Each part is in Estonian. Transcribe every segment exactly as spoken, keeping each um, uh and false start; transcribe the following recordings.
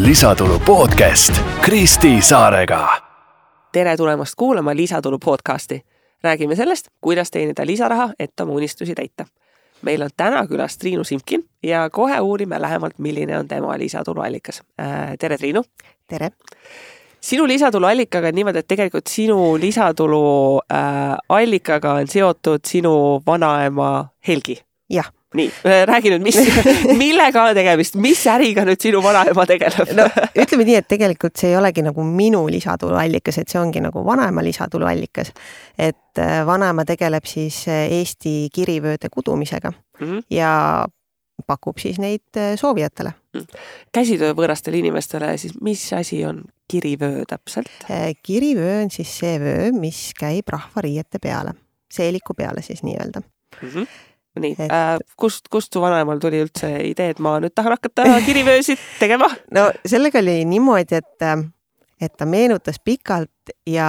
Lisatulu podcast Kristi Saarega. Tere tulemast kuulama Lisatulu podcasti. Räägime sellest, kuidas teenida lisaraha, et oma unistusi täita. Meil on täna külas Triinu Simkin ja kohe uurime lähemalt, milline on tema lisatulu allikas. Tere, Triinu! Tere! Sinu lisatulu allikaga on niimoodi, et tegelikult sinu lisatulu äh, allikaga on seotud sinu vanaema Helgi. Jah. Nii, räägi nüüd, mis, millega on tegemist, mis äriga nüüd sinu vanaema tegeleb? No, ütleme nii, et tegelikult see ei olegi nagu minu lisatulu allikas, et see ongi nagu vanaema lisatulu allikas. Et vanaema tegeleb siis Eesti kirivööde kudumisega mm-hmm. ja pakub siis neid soovijatele. Käsitöö võõrastele inimestele, siis mis asi on kirivöö täpselt? Kirivöö on siis see vöö, mis käib rahvariiete peale, seeliku peale siis nii-öelda. Mm-hmm. Nii, et... äh, kust, kust su vanaemal tuli üldse idee, et ma nüüd tahan hakata kirivöösid tegema? No sellega oli niimoodi, et, et ta meenutas pikalt ja,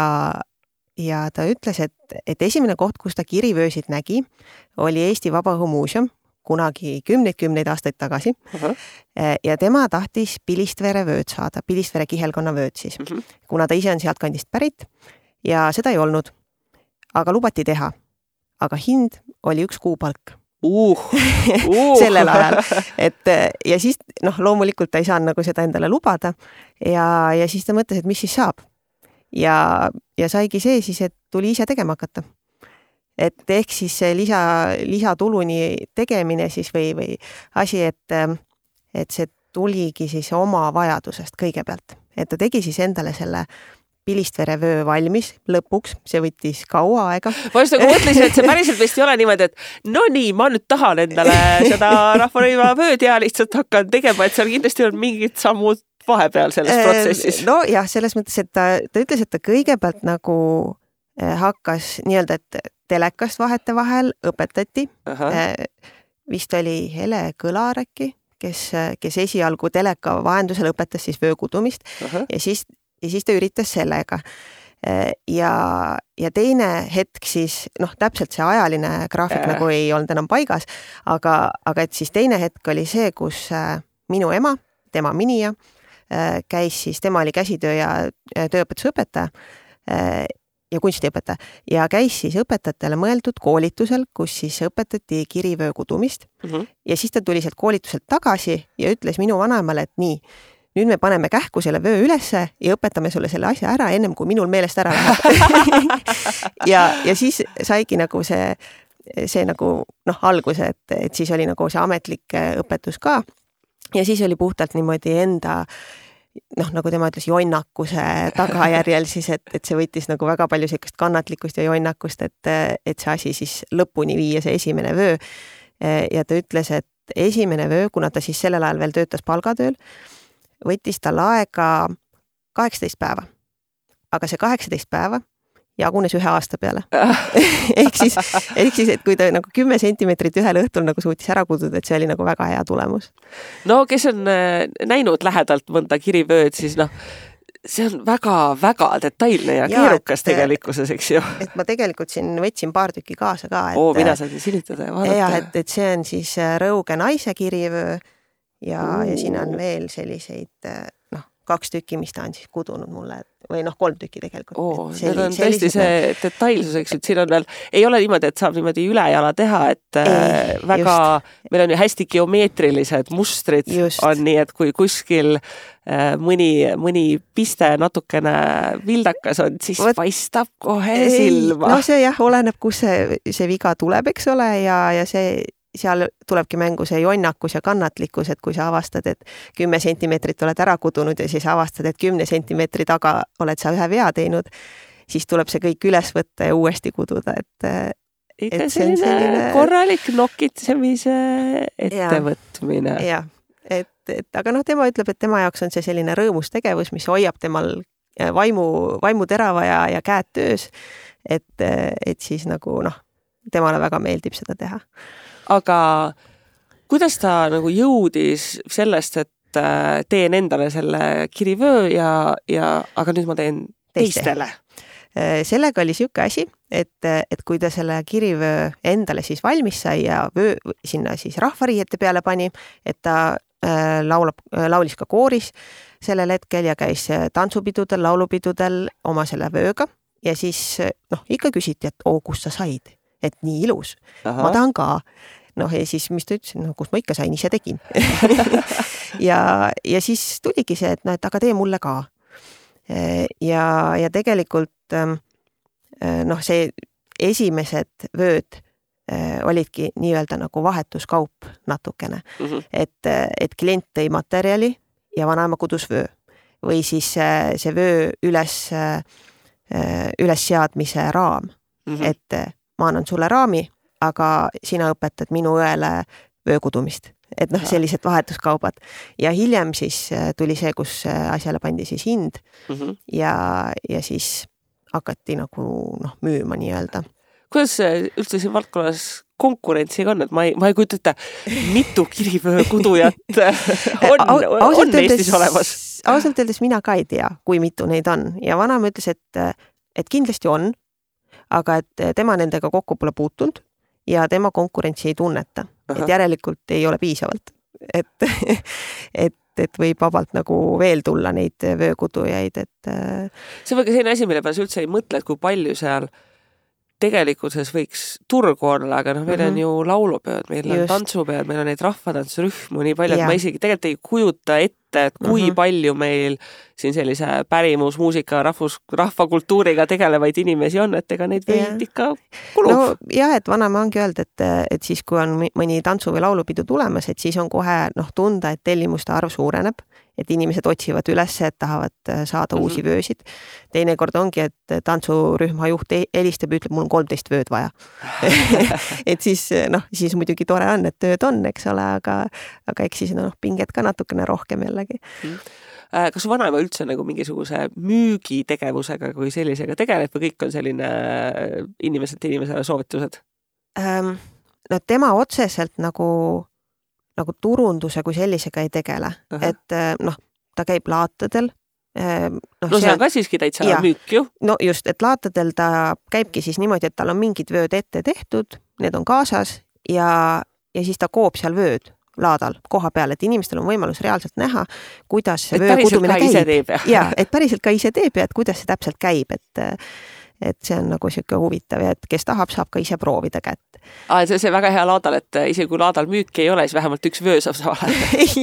ja ta ütles, et, et esimene koht, kus ta kirivöösid nägi, oli Eesti Vabaõhumuuseum, kunagi kümneid-kümneid aastaid tagasi. Uh-huh. Ja tema tahtis Pilistvere vööd saada, Pilistvere kihelkonna vööd siis, uh-huh. kuna ta ise on sealt kandist pärit ja seda ei olnud, aga lubati teha. Aga hind oli üks kuupalk. Uh, uh. sellel ajal. Et, ja siis noh, loomulikult ta ei saanud nagu seda endale lubada ja, ja siis ta mõtles, et mis siis saab. Ja, ja saigi see siis, et tuli ise tegema hakata. Et ehk siis see lisa, lisatuluni tegemine siis või, või asi, et, et see tuligi siis oma vajadusest kõigepealt. Et ta tegi siis endale selle Pilistvere vöö valmis lõpuks, see võttis kaua aega. Ma just nagu mõtlesin, et see päriselt vist ei ole niimoodi, et no nii, ma nüüd tahan endale seda rahvarõiva vööd ja lihtsalt hakkan tegema, et seal kindlasti on mingid sammud vahepeal selles protsessis. No jah, selles mõttes, et ta, ta ütles, et ta kõigepealt nagu hakkas nii-öelda, et telekast vahete vahel õpetati. Uh-huh. Vist oli Hele Kõlar äkki, kes, kes esialgu teleka vahendusel õpetas siis vöökudumist uh-huh. ja siis Ja siis ta üritas sellega. Ja, ja teine hetk siis, noh, täpselt see ajaline graafik äh. nagu ei olnud enam paigas, aga, aga et siis teine hetk oli see, kus minu ema, tema minija, käis siis, tema oli käsitöö ja tööõpetusõpetaja ja kunstiõpetaja ja käis siis õpetajatele mõeldud koolitusel, kus siis õpetati kirivöö kudumist mm-hmm. ja siis ta tuli sealt koolituselt tagasi ja ütles minu vanaemale, et nii, nüüd me paneme kähku selle vöö ülesse ja õpetame sulle selle asja ära ennem, kui minul meelest ära läheb. ja, ja siis saigi nagu see, see nagu noh, alguse, et, et siis oli nagu see ametlik õpetus ka. Ja siis oli puhtalt niimoodi enda, noh, nagu tema ütles, jonnakuse tagajärjel siis, et, et see võttis nagu väga palju sellist kannatlikkust ja jonnakust, et, et see asi siis lõpuni viia, see esimene vöö. Ja ta ütles, et esimene vöö, kuna ta siis sellel ajal veel töötas palgatööl, võttis tal aega kaheksateist päeva. Aga see kaheksateist päeva jagunes ühe aasta peale. ehk, siis, ehk siis, et kui ta nagu kümme sentimeetrit ühel õhtul nagu suutis ära kududa, et see oli nagu väga hea tulemus. No, kes on näinud lähedalt mõnda kirivööd, siis noh, see on väga-väga detailne ja, ja keerukas et, tegelikkuses, eks ju. Et ma tegelikult siin võtsin paar tükki kaasa ka. Et, Oo, mina saan silitada ja vaadata. Ja, et, et see on siis Rõuge naise kirivöö. Ja, ja siin on veel selliseid, noh, kaks tükki, mis ta on siis kudunud mulle, või noh, kolm tükki tegelikult. Oo, need on tõesti see detailsuseks, et siin on veel, ei ole niimoodi, et saab niimoodi ülejala teha, et ei, väga, just. Meil on ju hästi geomeetrilised mustrid just. On nii, et kui kuskil mõni, mõni piste natukene vildakas on, siis Võt... paistab kohe ei, silma. No see jah, oleneb, kus see, see viga tuleb, eks ole, ja, ja see seal tulebki mängu see jonnakus ja kannatlikkus, et kui sa avastad, et kümme sentimeetrit oled ära kudunud ja siis avastad, et kümne sentimeetri taga oled sa ühe vea teinud, siis tuleb see kõik üles võtta ja uuesti kududa, et ikka et selline, selline korralik nokitsemise ettevõtmine. Ja, et, et, aga noh, tema ütleb, et tema jaoks on see selline rõõmus tegevus, mis hoiab temal vaimu, vaimu terava ja, ja käed töös, et, et siis nagu noh, temale väga meeldib seda teha. Aga kuidas ta nagu jõudis sellest, et teen endale selle kirivöö ja, ja aga nüüd ma teen teistele? Sellega oli siuke asi, et, et kui ta selle kirivöö endale siis valmis sai ja vöö sinna siis rahvariiete peale pani, et ta laulab, laulis ka kooris sellel hetkel ja käis tantsupidudel, laulupidudel oma selle vööga ja siis noh, ikka küsiti, et oo, kust sa said, et nii ilus. Aha. Ma tahan ka. Noh, ja siis, mis ta ütles, no, kus ma ikka sain, ise tegin. ja, ja siis tuligi see, et, no, et aga tee mulle ka. Ja, ja tegelikult noh, see esimesed vööd olidki nii-öelda nagu vahetuskaup natukene, mm -hmm. et, et klient tõi materjali ja vanaema kudus vöö või siis see vöö üles, üles seadmise raam, mm -hmm. et ma annan sulle raami, aga sina õpetad minu õele vöökudumist. Et noh, sellised vahetuskaubad. Ja hiljem siis tuli see, kus asjale pandi siis hind mm -hmm. ja, ja siis hakati nagu noh, müüma nii-öelda. Kuidas üldse siin valdkonnas konkurentsiga on, et ma ei, ma ei kujuta ette, mitu kirivöökudujat on, on Eestis olemas? Ausalt öeldes mina ka ei tea, kui mitu neid on. Ja vanaema ütles, et, et kindlasti on, aga et tema nendega kokku pole puutunud ja tema konkurentsi ei tunneta. Aha. Et järelikult ei ole piisavalt. Et, et, et võib vabalt nagu veel tulla neid vöökudujaid. Et... See on väga selline asi, mille peale sa üldse ei mõtle, et kui palju seal tegelikkuses võiks turgu olla, aga noh, meil mm -hmm. on ju laulupeod, meil Just. on tantsupeod, meil on neid rahvatantsurühmu nii palju, et ma isegi tegelikult ei kujuta ette, et kui mm -hmm. palju meil siin sellise pärimusmuusika, rahvus, rahvakultuuriga tegelevaid inimesi on, et ega neid võid ikka kulub. No jah, et vanaema ongi öeldud, et, et siis kui on mõni tantsu- või laulupidu tulemas, et siis on kohe noh, tunda, et tellimuste arv suureneb, et inimesed otsivad üles, et tahavad saada mm -hmm. uusi vöösid. Teinekord ongi, et tantsurühma juht helistab ja ütleb, mul on kolmteist vööd vaja. et siis noh, siis muidugi tore on, et tööd on, eks ole, aga, aga eks siis noh, pinget ka natukene rohkem jällegi. Mm -hmm. Kas vanaema üldse nagu mingisuguse müügitegevusega kui sellisega tegeleb või kõik on selline inimeselt inimesele soovitused? Ähm, no tema otseselt nagu nagu turunduse kui sellisega ei tegele. Aha. Et noh, ta käib laatadel. No, no see on ka siiski täitsa ja, müük ju. No just, et laatadel ta käibki siis niimoodi, et tal on mingid vööd ette tehtud, need on kaasas ja, ja siis ta koob seal vööd laadal koha peal, et inimestel on võimalus reaalselt näha, kuidas see vöökudumine käib. Ja. ja, et päriselt ka ise teeb ja et kuidas see täpselt käib, et et see on nagu siuke huvitav ja et kes tahab, saab ka ise proovida kätt. Aa, see, see väga hea laadal, et isegi kui laadal müüki ei ole, siis vähemalt üks vöö saab saada.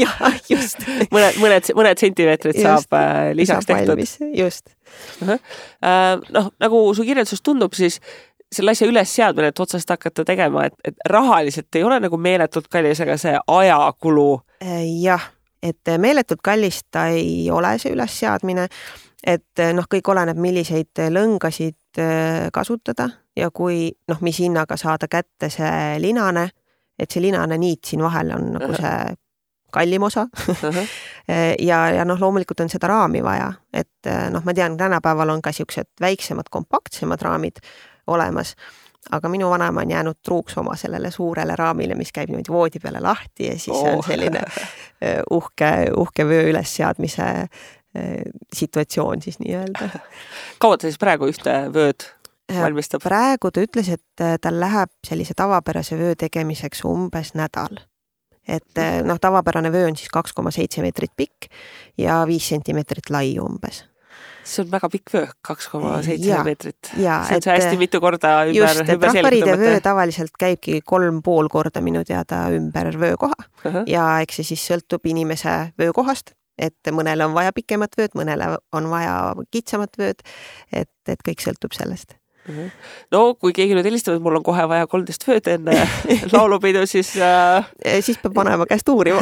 jah, just. mõned, mõned, mõned sentimeetrid just, saab äh, lisaks tehtud. Just. Uh-huh. Äh, noh, nagu su kirjeldus tundub, siis selle asja üles seadmine, et otsast hakata tegema, et, et rahaliselt ei ole nagu meeletult kallis, aga see ajakulu. Jah, et meeletult kallis ta ei ole see üles seadmine, et noh, kõik oleneb, milliseid lõngasid kasutada ja kui noh, mis hinnaga saada kätte see linane, et see linane niit siin vahel on nagu see kallim osa. ja, ja noh, loomulikult on seda raami vaja, et noh, ma tean, tänapäeval on ka siuksed väiksemad, kompaktsemad raamid olemas, aga minu vanaema on jäänud truuks oma sellele suurele raamile, mis käib niimoodi voodi peale lahti ja siis oh. on selline uhke, uhke vöö ülesseadmise situatsioon siis nii-öelda. Kaua ta siis praegu ühte vööd valmistab? Praegu ta ütles, et tal läheb sellise tavapärase vöö tegemiseks umbes nädal. Et noh, tavapärane vöö on siis kaks koma seitse meetrit pikk ja viis sentimeetrit lai umbes. See on väga pikk vöö, kaks koma seitse meetrit. Ja, see on see hästi mitu korda ümber, just, et rahvariide vöö tavaliselt käibki kolm pool korda minu teada ümber vöökoha uh -huh. ja eks see siis sõltub inimese vöökohast, et mõnele on vaja pikemat vööd, mõnele on vaja kitsamat vööd, et, et kõik sõltub sellest. No kui keegi nüüd helistab, et mul on kohe vaja kolmteist vööd enne laulupidu, siis äh... siis peab vanema käest uurima.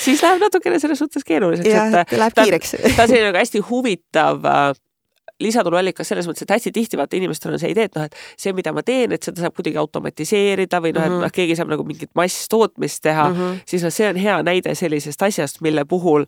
siis läheb natukene selles suhtes keeruliseks. jah, et läheb kiireks. ta on selline hästi huvitav äh, lisatuluallikas selles mõttes, et hästi tihti vaata inimestel on see idee, et noh, et see, mida ma teen, et seda saab kuidagi automatiseerida või noh, et noh, keegi saab nagu mingit masstootmist teha, mm -hmm. siis no, see on hea näide sellisest asjast, mille puhul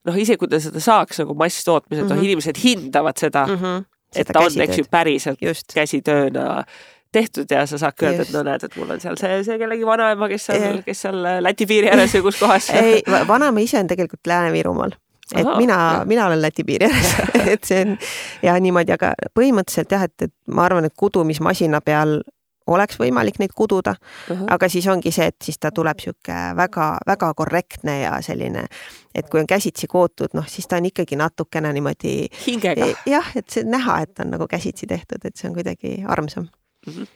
noh, ise kui ta seda saaks nagu masstootmised, mm -hmm. noh, inimesed hindavad seda, mm -hmm. et ta on, eks ju, päriselt just. käsitööna tehtud ja sa saadki öelda, et no näed, et mul on seal see, see kellegi vanaema, kes seal, kes seal Läti piiri ääres või kus kohas. ei, vanaema ise on tegelikult Lääne-Virumaal. Et Aha, mina, mina olen Läti piiri ääres, et see on ja niimoodi, aga põhimõtteliselt jah, et, et ma arvan, et kudumismasina peal oleks võimalik neid kududa, uh -huh. aga siis ongi see, et siis ta tuleb sihuke väga, väga korrektne ja selline, et kui on käsitsi kootud, noh, siis ta on ikkagi natukene niimoodi hingega. Jah, et see näha, et on nagu käsitsi tehtud, et see on kuidagi armsam. Uh -huh.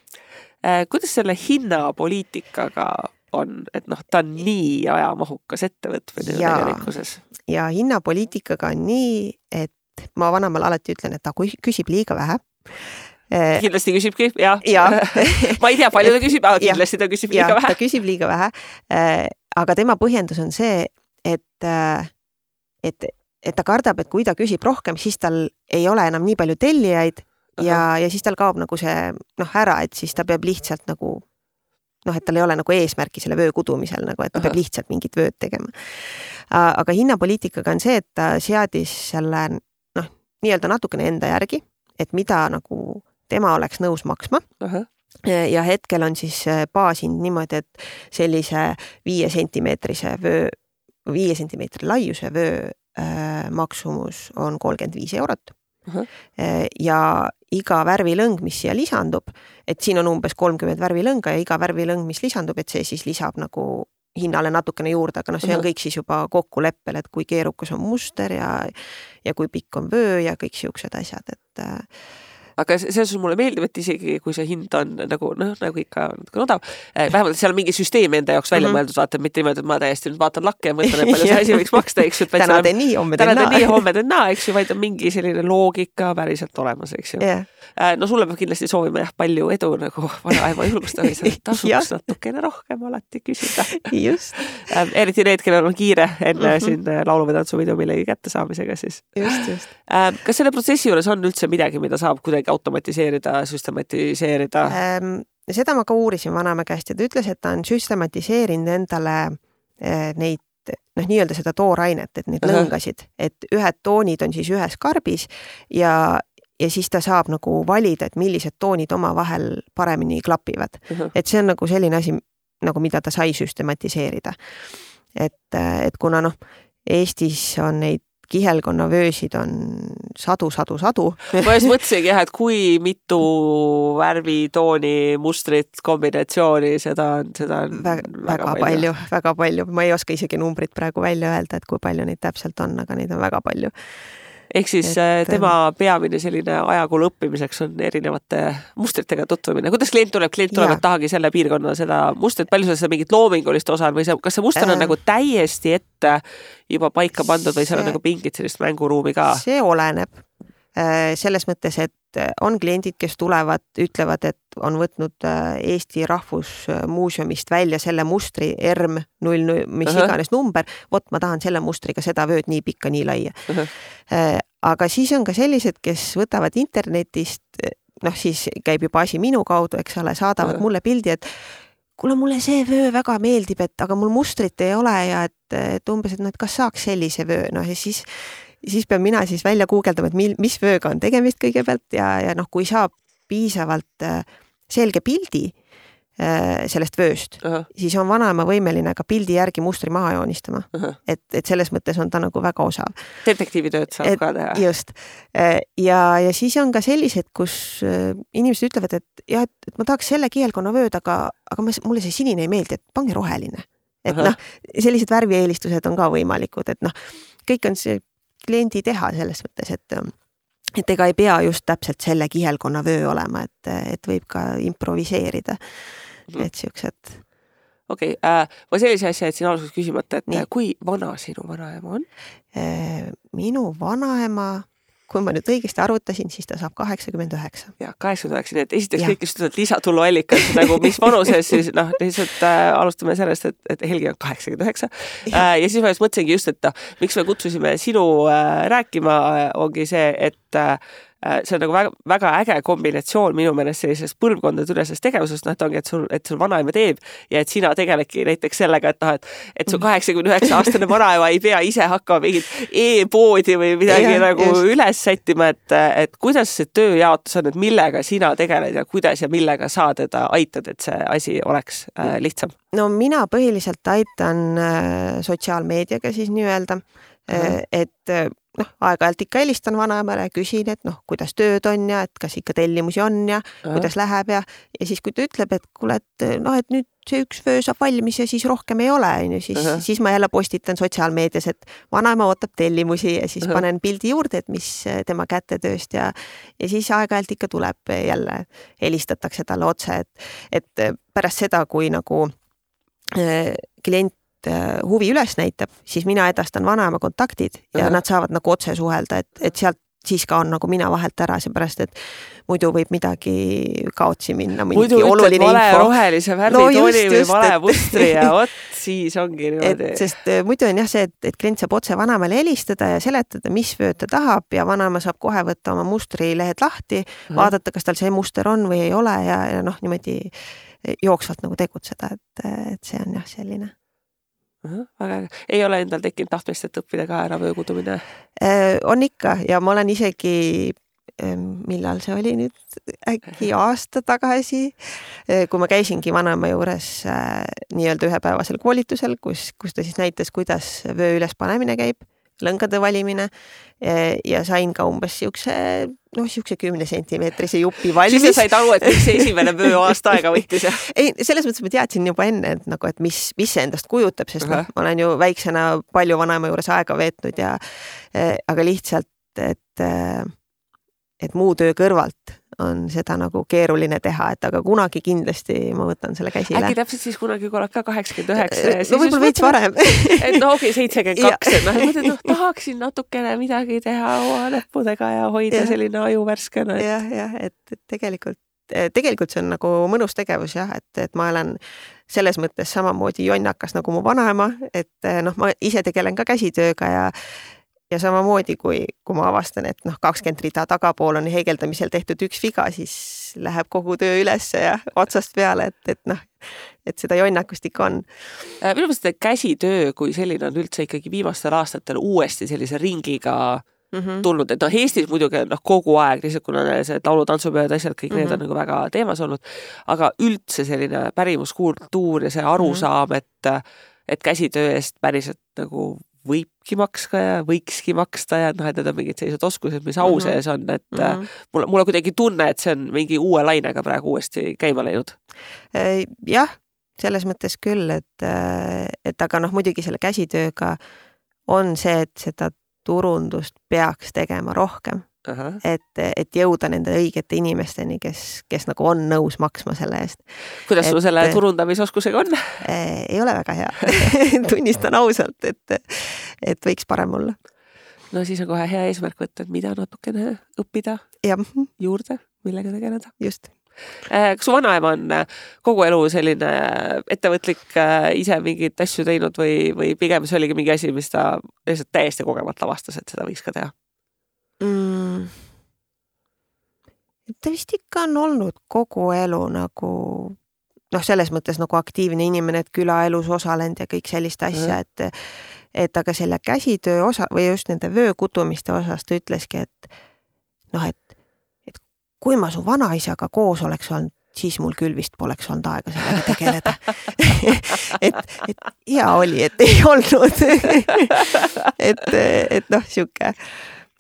äh, kuidas selle hinnapoliitikaga on, et noh, ta on nii ajamahukas ettevõtmine ja, tegelikkuses? Ja hinnapoliitikaga on nii, et ma vanemal alati ütlen, et ta küsib liiga vähe. Kindlasti küsibki, jah. Ja. ma ei tea, palju ta küsib, aga kindlasti ta küsib liiga ja, vähe. Ta küsib liiga vähe, aga tema põhjendus on see, et, et, et ta kardab, et kui ta küsib rohkem, siis tal ei ole enam nii palju tellijaid ja, ja siis tal kaob nagu see noh, ära, et siis ta peab lihtsalt nagu noh, et tal ei ole nagu eesmärki selle vöö kudumisel, nagu, et ta Aha. peab lihtsalt mingit vööd tegema. Aga hinnapoliitikaga on see, et ta seadis selle noh, nii-öelda natukene enda järgi, et mida nagu tema oleks nõus maksma. Uh-huh. Ja hetkel on siis baasind niimoodi, et sellise viie sentimeetrise vöö, viie sentimeetri laiuse vöö äh, maksumus on kolmkümmend viis eurot. Uh-huh. Ja iga värvilõng, mis siia lisandub, et siin on umbes kolmkümmend värvilõnga ja iga värvilõng, mis lisandub, et see siis lisab nagu hinnale natukene juurde, aga noh, see on kõik siis juba kokkuleppel, et kui keerukas on muster ja, ja kui pikk on vöö ja kõik siuksed asjad, et aga selles mulle meeldib, et isegi kui see hind on nagu, noh, nagu ikka odav, vähemalt seal on mingi süsteem enda jaoks välja mm -hmm. mõeldud, vaata, mitte niimoodi, et ma täiesti nüüd vaatan lakke ja mõtlen, et palju see asi võiks maksta, eks ju. Täna teen nii, homme teen naa. Täna teen nii, homme teen naa, eks ju, vaid on mingi selline loogika päriselt olemas, eks ju. Yeah. No sulle peab kindlasti soovima jah, palju edu nagu vanaema julgustamise, tasuks natukene rohkem alati küsida. Just. Eriti need, kellel on kiire enne mm -hmm. siin laulu- või tantsupidu millegi kätte saamisega siis. Just, just. Kas selle protsessi juures on üldse midagi, mida saab kuidagi automatiseerida, süstematiseerida? Ähm, seda ma ka uurisin vanaema käest ja ta ütles, et ta on süstematiseerinud endale äh, neid, noh, nii-öelda seda toorainet, et neid uh-huh. lõngasid, et ühed toonid on siis ühes karbis ja, ja siis ta saab nagu valida, et millised toonid omavahel paremini klapivad. Uh-huh. Et see on nagu selline asi, nagu mida ta sai süstematiseerida. Et, et kuna noh, Eestis on neid kihelkonna vöösid on sadu, sadu, sadu. Ma just mõtlesingi jah, et kui mitu värvitooni, mustrit, kombinatsiooni, seda on, seda on väga, väga palju. palju, väga palju. Ma ei oska isegi numbrit praegu välja öelda, et kui palju neid täpselt on, aga neid on väga palju. Ehk siis et, tema peamine selline ajakulu õppimiseks on erinevate mustritega tutvumine. Kuidas klient tuleb? Klient tuleb, et tahagi selle piirkonna seda mustrit, palju seda mingit loomingulist osa on või see, kas see muster on äh, nagu täiesti ette juba paika pandud või seal on nagu pingid sellist mänguruumi ka? See oleneb. Selles mõttes, et on kliendid, kes tulevad, ütlevad, et on võtnud Eesti Rahvusmuuseumist välja selle mustri R M null null, mis uh-huh. iganes number, vot ma tahan selle mustriga seda vööd nii pikka, nii laia. Uh-huh. Aga siis on ka sellised, kes võtavad internetist, noh siis käib juba asi minu kaudu, eks ole, saadavad uh-huh. mulle pildi, et kuule, mulle see vöö väga meeldib, et aga mul mustrit ei ole ja et, et umbes, et no, et kas saaks sellise vöö, noh ja siis siis pean mina siis välja guugeldama, et mil, mis vööga on tegemist kõigepealt ja, ja noh, kui saab piisavalt selge pildi sellest vööst, uh-huh. siis on vanaema võimeline ka pildi järgi mustri maha joonistama. Uh-huh. Et, et selles mõttes on ta nagu väga osav. Detektiivitööd saab et, ka teha. Just. Ja, ja siis on ka sellised, kus inimesed ütlevad, et jah, et ma tahaks selle kihelkonna vööd, aga, aga mulle see sinine ei meeldi, et pange roheline. Et uh-huh. noh, sellised värvieelistused on ka võimalikud, et noh, kõik on see kliendi teha selles mõttes, et, et ega ei pea just täpselt selle kihelkonna vöö olema, et, et võib ka improviseerida. Mm. Et siuksed. Okei, okay, äh, ma sellise asja, et siin alguses küsimata, et Nii. kui vana sinu vanaema on? Minu vanaema, kui ma nüüd õigesti arvutasin, siis ta saab kaheksakümmend üheksa. Ja, kaheksakümmend üheksa, nii et esiteks kõik just lisatuluallikas, nagu mis vanuses siis, noh, lihtsalt äh, alustame sellest, et, et Helgi on kaheksakümmend üheksa. Äh, ja siis ma just mõtlesingi just, et miks me kutsusime sinu äh, rääkima, ongi see, et äh, see on nagu väga, väga äge kombinatsioon minu meelest sellisest põlvkondade ülesest tegevusest, noh, et ongi, et sul, et sul vanaema teeb ja et sina tegeledki näiteks sellega, et noh, et, et su kaheksakümne üheksa aastane vanaema ei pea ise hakkama mingit e-poodi või midagi ja, nagu just. Üles sättima, et, et kuidas see tööjaotus on, et millega sina tegeled ja kuidas ja millega sa teda aitad, et see asi oleks äh, lihtsam? No mina põhiliselt aitan äh, sotsiaalmeediaga siis nii-öelda, äh, et noh, aeg-ajalt ikka helistan vanaemale ja küsin, et noh, kuidas tööd on ja et kas ikka tellimusi on ja Aha. kuidas läheb ja, ja siis, kui ta ütleb, et kuule, et noh, et nüüd see üks vöö saab valmis ja siis rohkem ei ole, on ju, siis, siis ma jälle postitan sotsiaalmeedias, et vanaema ootab tellimusi ja siis Aha. panen pildi juurde, et mis tema kätetööst ja, ja siis aeg-ajalt ikka tuleb jälle, helistatakse talle otse, et, et pärast seda, kui nagu äh, klient huvi üles näitab, siis mina edastan vanaema kontaktid ja Aha. nad saavad nagu otse suhelda, et, et sealt siis ka on nagu mina vahelt ära, seepärast, et muidu võib midagi kaotsi minna. Muidu ütled vale info. Rohelise värvitooni no just, või vale mustri ja vot siis ongi niimoodi. Sest muidu on jah see, et, et klient saab otse vanaemale helistada ja seletada, mis vööd ta tahab ja vanaema saab kohe võtta oma mustrilehed lahti, Aha. vaadata, kas tal see muster on või ei ole ja, ja noh, niimoodi jooksvalt nagu tegutseda, et, et see on jah selline. Aga ei ole endal tekkinud tahtmist, et õppida ka ära vöökudumine? On ikka ja ma olen isegi, millal see oli nüüd, äkki aasta tagasi, kui ma käisingi vanaema juures nii-öelda ühepäevasel koolitusel, kus, kus ta siis näitas, kuidas vöö üles panemine käib, lõngade valimine ja sain ka umbes siukse, noh, siukse kümne sentimeetrise jupi valmis. Siis sa said aru, et mis see esimene vöö aasta aega võttis? Ei, selles mõttes ma teadsin juba enne, et, nagu, et mis, mis see endast kujutab, sest uh-huh. ma olen ju väiksena palju vanaema juures aega veetnud ja aga lihtsalt, et, et muu töö kõrvalt on seda nagu keeruline teha, et aga kunagi kindlasti ma võtan selle käsile. Äkki täpselt siis kunagi, kui oled ka kaheksakümmend üheksa. No võib-olla veits varem. Et no okei, seitsekümmend kaks, et noh, mõtled, noh, tahaksin natukene midagi teha oma näppudega ja hoida ja. Selline aju värskena. Et... jah, jah, et tegelikult, tegelikult see on nagu mõnus tegevus jah, et, et ma olen selles mõttes samamoodi jonnakas nagu mu vanaema, et noh, ma ise tegelen ka käsitööga ja Ja samamoodi, kui, kui ma avastan, et noh, kakskümmend rida tagapool on heegeldamisel tehtud üks viga, siis läheb kogu töö ülesse ja otsast peale, et, et noh, et seda jonnakust ikka on. Minu mõttes käsitöö, kui selline on üldse ikkagi viimastel aastatel uuesti sellise ringiga mm-hmm. tulnud, et noh, Eestis muidugi noh, kogu aeg, lihtsalt kuna see laulu-tantsupeod, asjad, kõik mm-hmm. need on nagu väga teemas olnud, aga üldse selline pärimuskultuur ja see arusaam, mm-hmm. et, et käsitöö eest päriselt nagu võibki makska ja võikski maksta ja noh, et need on mingid sellised oskused, mis au sees on, et mm-hmm. mulle, mulle kuidagi tunne, et see on mingi uue lainega praegu uuesti käima läinud. Jah, selles mõttes küll, et, et aga noh, muidugi selle käsitööga on see, et seda turundust peaks tegema rohkem. Aha. Et, et jõuda nende õigete inimesteni, kes, kes nagu on nõus maksma selle eest. Kuidas sul selle turundamisoskusega on? Ei ole väga hea. Tunnistan ausalt, et, et võiks parem olla. No siis on kohe hea eesmärk võtta, et mida natukene õppida ja. Juurde, millega tegeleda. Just. Kas su vanaema on kogu elu selline ettevõtlik ise mingit asju teinud või, või pigem see oligi mingi asi, mis ta lihtsalt täiesti kogemata avastas, et seda võiks ka teha? Mm. Ta vist ikka on olnud kogu elu nagu noh, selles mõttes nagu aktiivne inimene, et külaelus osalenud ja kõik sellist asja, mm. et, et aga selle käsitöö osa või just nende vöökutumiste osas ta ütleski, et noh, et, et kui ma su vanaisaga koos oleks olnud, siis mul küll vist poleks olnud aega sellega tegeleda. et, et hea oli, et ei olnud. et, et noh, siuke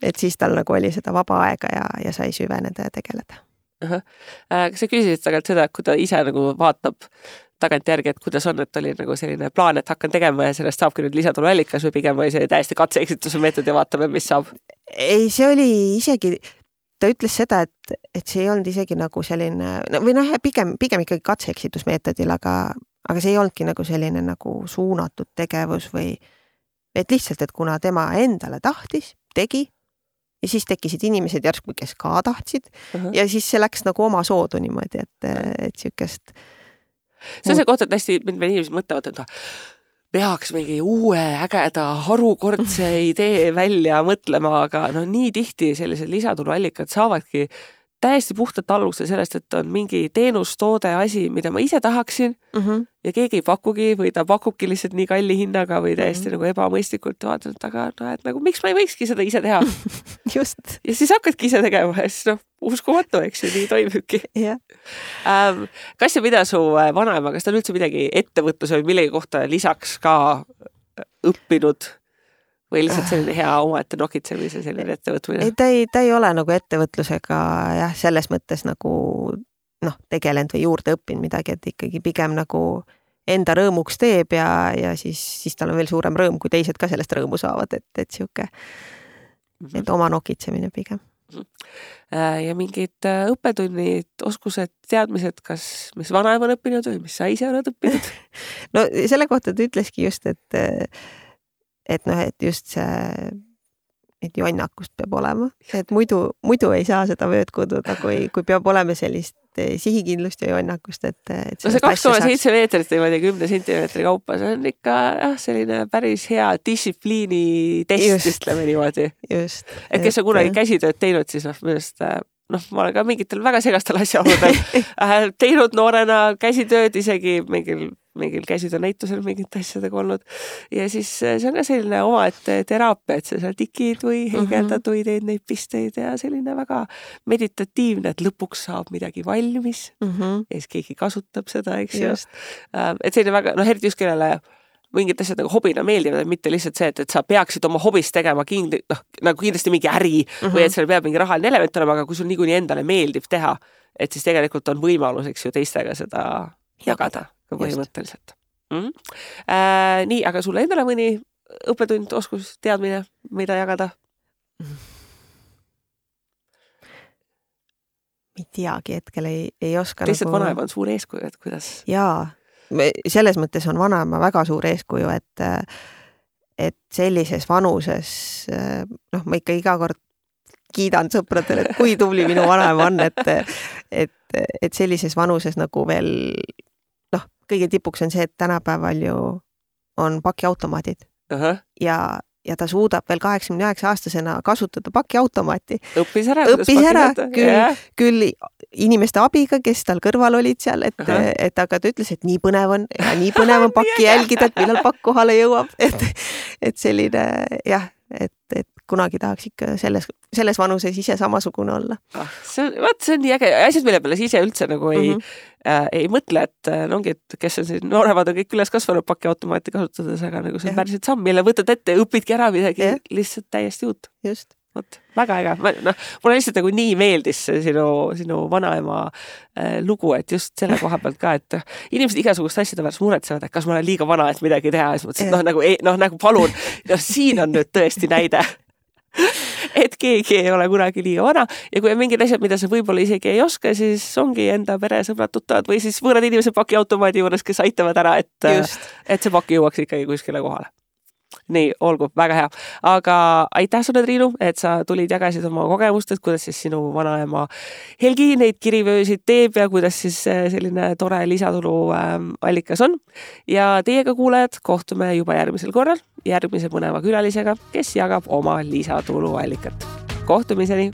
et siis tal nagu oli seda vaba aega ja, ja sai süveneda ja tegeleda. Aha. Kas sa küsisid tagant seda, kui ta ise nagu vaatab tagant järgi, et kuidas on, et oli nagu selline plaan, et hakkan tegema ja sellest saabki nüüd lisatuluallikas või pigem või see täiesti katse-eksituse meetod ja vaatame, mis saab? Ei, see oli isegi, ta ütles seda, et, et see ei olnud isegi nagu selline, või noh, pigem, pigem ikkagi katse-eksitusmeetodil, aga, aga see ei olnudki nagu selline nagu suunatud tegevus või et lihtsalt, et kuna tema endale tahtis, tegi, ja siis tekkisid inimesed järsku, kes ka tahtsid uh-huh. ja siis see läks nagu oma soodu niimoodi, et, et siukest. See on see koht, et hästi inimesed mõtlevad, et peaks mingi uue ägeda harukordse idee välja mõtlema, aga no nii tihti sellised lisatuluallikad saavadki täiesti puhtalt alguse sellest, et on mingi teenus, toode, asi, mida ma ise tahaksin uh-huh. ja keegi ei pakugi või ta pakubki lihtsalt nii kalli hinnaga või täiesti uh-huh. nagu ebamõistlikult vaatanud, aga no, et nagu miks ma ei võikski seda ise teha? Just. Ja siis hakkadki ise tegema ja siis noh, uskumatu, eks ju, nii toimubki. Yeah. Ähm, kas ja mida su vanaema, kas ta on üldse midagi ettevõtluse või millegi kohta lisaks ka õppinud või lihtsalt selline hea omaette nokitsemise selline ettevõtmine? ei, ta ei, ta ei ole nagu ettevõtlusega jah, selles mõttes nagu noh, tegelenud või juurde õppinud midagi, et ikkagi pigem nagu enda rõõmuks teeb ja, ja siis, siis tal on veel suurem rõõm, kui teised ka sellest rõõmu saavad, et, et sihuke, et oma nokitsemine pigem. Ja mingid õppetunnid, oskused, teadmised, kas mis vanaema on õppinud või mis sa ise oled õppinud? No selle kohta ta ütleski just, et et noh, et just see et jonnakust peab olema, et muidu, muidu ei saa seda vööd kududa, kui, kui peab olema sellist sihikindlust ja jonnakust, et, et no see kaks koma seitse meetrit niimoodi kümne sentimeetri kaupa, see on ikka jah, selline päris hea distsipliini test, ütleme niimoodi. Just. Et kes on kunagi käsitööd teinud, siis noh, millest noh, ma olen ka mingitel väga segastel asjaoludel teinud noorena käsitööd, isegi mingil mingil käsitöönäitusel mingite asjadega olnud. Ja siis see on ka selline oma, et teraapia, et sa seal tikid või hengeldad või teed neid pisteid ja selline väga meditatiivne, et lõpuks saab midagi valmis mm -hmm. ja siis keegi kasutab seda, eks ju. Et selline väga, noh, eriti just kellele mingid asjad nagu hobina meeldivad, mitte lihtsalt see, et, et sa peaksid oma hobist tegema kindli, noh, nagu kindlasti mingi äri mm -hmm. või et seal peab mingi rahaline element olema, aga kui sul niikuinii endale meeldib teha, et siis tegelikult on võimalus, eks ju, teistega seda jagada põhimõtteliselt. Mm. Äh, nii, aga sulle endale mõni õppetund, oskus, teadmine, mida jagada? ei teagi, hetkel ei, ei oska. Lihtsalt nagu... vanaema on suur eeskuju, et kuidas? Jaa, selles mõttes on vanaema väga suur eeskuju, et, et sellises vanuses, noh, ma ikka iga kord kiidan sõpradele, et kui tubli minu vanaema on, et, et, et sellises vanuses nagu veel kõige tipuks on see, et tänapäeval ju on pakiautomaadid uh-huh. ja, ja ta suudab veel kaheksakümne üheksa aastasena kasutada pakiautomaati. Õppis ära. Õppis ära, küll, yeah. küll inimeste abiga, kes tal kõrval olid seal, et, uh-huh. et aga ta ütles, et nii põnev on ja nii põnev on pakki jälgida, et millal pakk kohale jõuab. Et, et selline jah, et, et kunagi tahaks ikka selles, selles vanuses ise samasugune olla. Ah, see, vaat, see on nii äge. Asjad, mille peale ise üldse nagu ei, mm -hmm. äh, ei mõtle, et no ongi, et kes on siin nooremad on kõik üles kasvanud pakiautomaati kasutades, aga nagu see on päriselt samm, mille võtad ette, õpidki ära midagi ja. Lihtsalt täiesti uut. Just. Vot, väga äge. No, mulle lihtsalt nagu nii meeldis sinu, sinu vanaema äh, lugu, et just selle koha pealt ka, et inimesed igasugust asjade pärast muretsevad, et kas ma olen liiga vana, et midagi teha. Ja siis mõtlesin, et noh, nagu, noh, nagu palun, no siin on nüüd tõesti näide. Et keegi ei ole kunagi liiga vana ja kui on mingid asjad, mida sa võib-olla isegi ei oska, siis ongi enda pere sõbrad tuttavad või siis võõrad inimesed pakiautomaadi juures, kes aitavad ära, et, et see paki jõuaks ikkagi kuskile kohale. Nii, olgu, väga hea. Aga aitäh sulle, Triinu, et sa tulid jagasid oma kogemust, et kuidas siis sinu vanaema Helgi neid kirivöösid teeb ja kuidas siis selline tore lisatulu allikas on. Ja teiega kuulajad, kohtume juba järgmisel korral järgmise põneva külalisega, kes jagab oma lisatulu allikat. Kohtumiseni!